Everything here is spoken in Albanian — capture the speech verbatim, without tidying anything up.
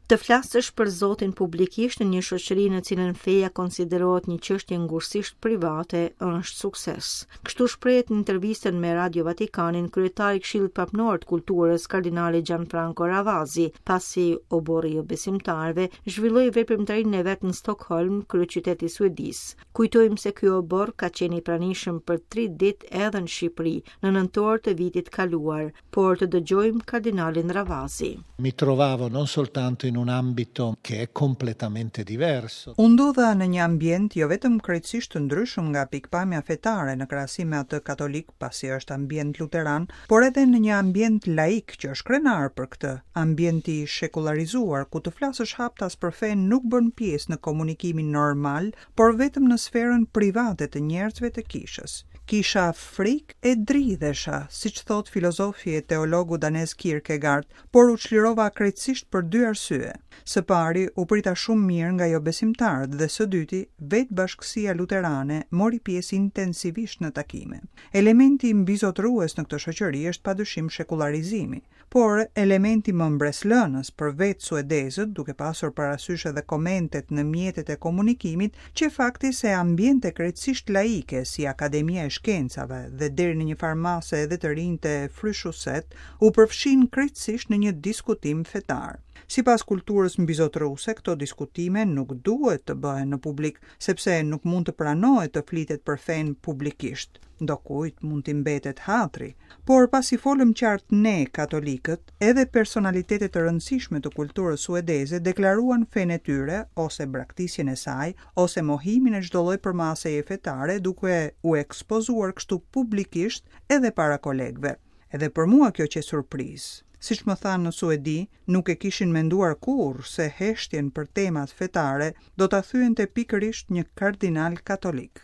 Të flasësh për Zotin publikisht në një shoqëri në cilën feja konsiderohet një çështje ngushtësisht private është sukses. Kështu shprehet në intervistën me Radio Vatikanin kryetari i Këshillit Papnor të Kulturës, kardinali Gianfranco Ravasi, pasi oborri i besimtarëve zhvilloi veprimtarinë e vet në Stockholm, kryeqyteti i Suedisë. Kujtojmë se ky oborr ka qenë i pranishëm për tri ditë edhe në Shqipëri, në nëntor të vitit kaluar, por të dëgjojmë kardinalin Ravasi. Mi trovavo non soltanto in un ambito che è completamente diverso. U ndodha në një ambient jo vetëm krejtësisht të ndryshëm nga pikpamja fetare në krahasim me atë katolik, pasi është ambient luteran, por edhe në një ambient laik që është krenar për këtë, ambient i shekullarizuar ku të flasësh haptas për fenë nuk bën pjesë në komunikimin normal, por vetëm në sferën private të njerëzve të kishës. Kisha frikë e dridhesha, siç thot filozofi e teologu danez Kierkegaard, por u çlirova krejtësisht për dy arsye. Së pari, u prita shumë mirë nga jo besimtarët dhe së dyti, vetë bashkësia luterane mori pjesë intensivisht në takime. Elementi mbizotërues në këtë shoqëri është padyshim shekullarizimi, por elementi më mbreslënës për vetë suedezët, duke pasur parasysh edhe komentet në mjetet e komunikimit, që fakti se ambiente krejtësisht laike si Akademia e Shkencave dhe deri në një farë mase edhe të rinjtë e Fryshuset u përfshin krejtësisht në një diskutim fetar. Sipas kulturës mbizotëruese, këto diskutime nuk duhet të bëhen në publik, sepse nuk mund të pranohet të flitet për fenë publikisht. Ndokujt mund t'i mbetet hatri, por pasi folëm qartë ne katolikët, edhe personalitete të rëndësishme të kulturës suedeze deklaruan fenë e tyre ose braktisjen e saj ose mohimin e çdo lloj përmaseje fetare, duke u ekspozuar kështu publikisht edhe para kolegëve. Edhe për mua kjo qe surprizë. Siç më thanë në Suedi, nuk e kishin menduar kurrë se heshtjen për temat fetare do ta thyente pikërisht një kardinal katolik.